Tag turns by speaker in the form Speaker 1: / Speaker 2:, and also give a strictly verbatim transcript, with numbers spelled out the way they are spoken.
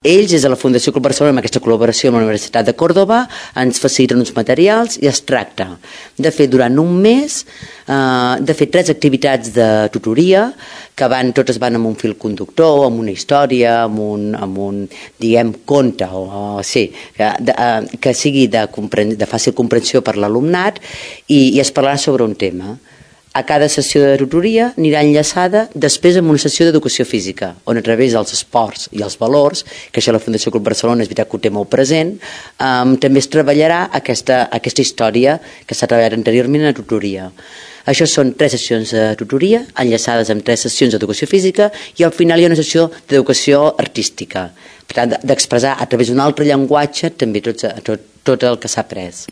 Speaker 1: Ells, des de la Fundació Club Barcelona, amb aquesta col·laboració amb la Universitat de Còrdova, ens faciliten uns materials i es tracta de fer durant un mes, eh, de fer tres activitats de tutoria, que van, totes van amb un fil conductor, amb una història, amb un, amb un diguem, conte, o, o sí, que, de, eh, que sigui de, de fàcil comprensió per l'alumnat i, i es parlarà sobre un tema. A cada sessió de tutoria anirà enllaçada després amb una sessió d'educació física, on a través dels esports i els valors, que això la Fundació Club Barcelona és veritat que ho té molt present, um, també es treballarà aquesta, aquesta història que s'ha treballat anteriorment a la tutoria. Això són tres sessions de tutoria, enllaçades amb tres sessions d'educació física, i al final hi ha una sessió d'educació artística, per tant, d'expressar a través d'un altre llenguatge també tot, tot, tot el que s'ha après.